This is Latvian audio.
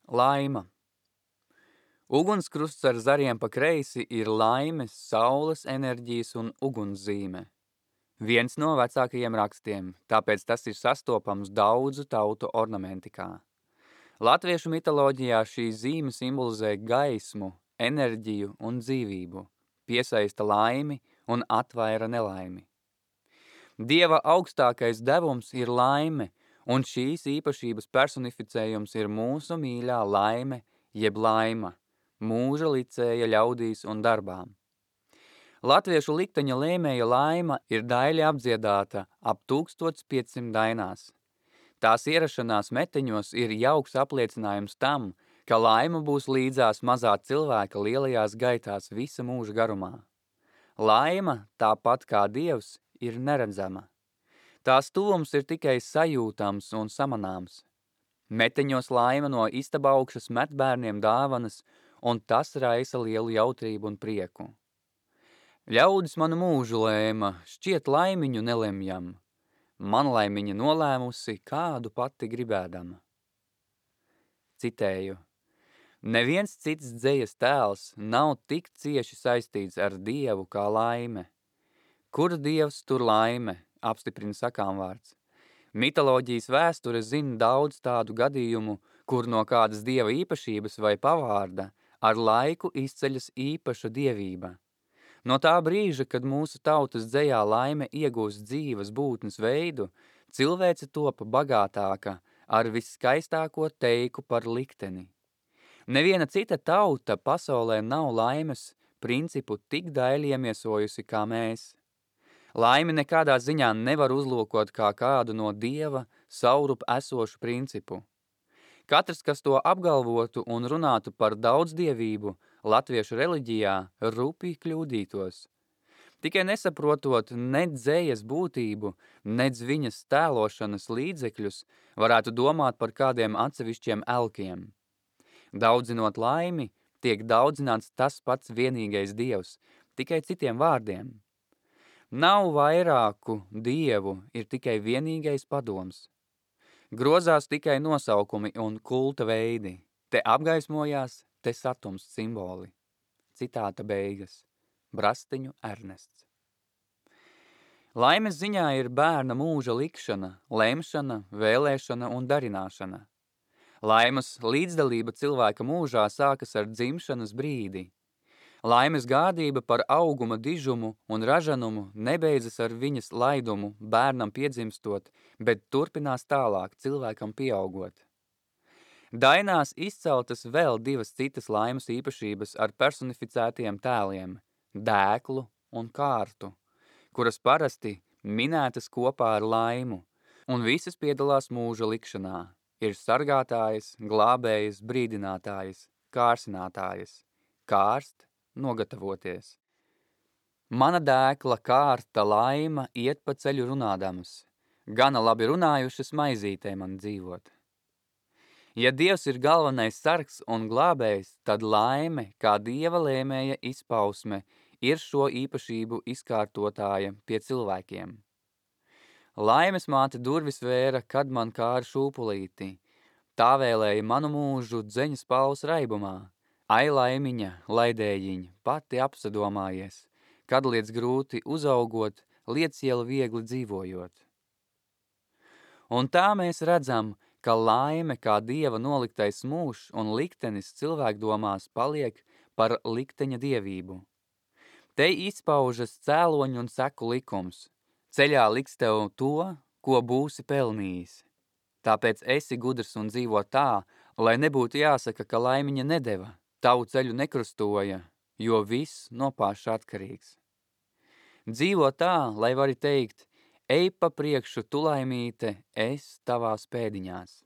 Laima. Ugunskrusts ar zariem pa kreisi ir laimes, saules enerģijas un ugunszīme. Viens no vecākajiem rakstiem, tāpēc tas ir sastopams daudzu tautu ornamentikā. Latviešu mitoloģijā šī zīme simbolizē gaismu, enerģiju un dzīvību, piesaista laimi un atvaira nelaimi. Dieva augstākais devums ir laime, un šīs īpašības personificējums ir mūsu mīļā laime, jeb laima, mūža licēja ļaudīs un darbām. Latviešu likteņa lēmēja laima ir daļi apdziedāta ap 1500 dainās. Tās ierašanās meteņos ir jauks apliecinājums tam, ka laima būs līdzās mazā cilvēka lielajās gaitās visa mūža garumā. Laima, tāpat kā Dievs, ir neredzama. Tās tuvums ir tikai sajūtams un samanāms. Meteņos laima no istaba augšas met bērniem dāvanas, un tas raisa lielu jautrību un prieku. Ļaudis manu mūžu lēma, šķiet laimiņu nelemjam, man laimiņa nolēmusi, kādu pati gribēdama. Citēju. Neviens cits dzejas tēls nav tik cieši saistīts ar Dievu kā laime. Kur Dievs, tur laime, apstiprina sakāmvārds. Mitoloģijas vēsture zina daudz tādu gadījumu, kur no kādas dieva īpašības vai pavārda ar laiku izceļas īpaša dievība. No tā brīža, kad mūsu tautas dzejā laime iegūst dzīves būtnes veidu, cilvēce topa bagātāka ar visskaistāko teiku par likteni. Neviena cita tauta pasaulē nav laimes principu tik daļi iemiesojusi kā mēs. Laimi nekādā ziņā nevar uzlūkot kā kādu no Dieva saurup esošu principu. Katrs, kas to apgalvotu un runātu par daudzdievību latviešu reliģijā, rupi kļūdītos. Tikai nesaprotot nec dzējas būtību, nec viņas tēlošanas līdzekļus, varētu domāt par kādiem atsevišķiem elkiem. Daudzinot laimi, tiek daudzināts tas pats vienīgais Dievs, tikai citiem vārdiem. Nav vairāku dievu, ir tikai vienīgais padoms. Grozās tikai nosaukumi un kulta veidi. Te apgaismojās, te satums simboli. Citāta beigas. Brastiņu Ernests. Laimes ziņā ir bērna mūža likšana, lemšana, vēlēšana un darināšana. Laimes līdzdalība cilvēka mūžā sākas ar dzimšanas brīdi. Laimes gādība par auguma dižumu un ražanumu nebeidzas ar viņas laidumu bērnam piedzimstot, bet turpinās tālāk cilvēkam pieaugot. Dainās izceltas vēl divas citas laimes īpašības ar personificētiem tēliem – dēklu un kārtu, kuras parasti minētas kopā ar laimu, un visas piedalās mūža likšanā. Ir sargātājas, glābējas, brīdinātājas, kārsinātājas, kārst, nogatavoties. Mana dēkla, kārta, laima iet pa ceļu runādamas. Gana labi runājušas maizītē man dzīvot. Ja Dievs ir galvenais sargs un glābējs, tad laime, kā Dieva lēmēja izpausme, ir šo īpašību izkārtotāja pie cilvēkiem. Laimes māte durvis vēra, kad man kāra šūpulīti. Tā vēlēja manu mūžu dzeņas pauls raibumā. Ai laimiņa, laidējiņa, pati apsadomājies, kad liec grūti uzaugot, liec iela viegli dzīvojot. Un tā mēs redzam, ka laime kā Dieva noliktais mūžs un liktenis cilvēkdomās paliek par likteņa dievību. Te izpaužas cēloņu un seku likums. Ceļā liks tev to, ko būsi pelnījis. Tāpēc esi gudrs un dzīvo tā, lai nebūtu jāsaka, ka laimiņa nedeva. Tavu ceļu nekrustoja, jo viss no paša atkarīgs. Dzīvo tā, lai vari teikt, ej pa priekšu tu laimīte, es tavās pēdiņās.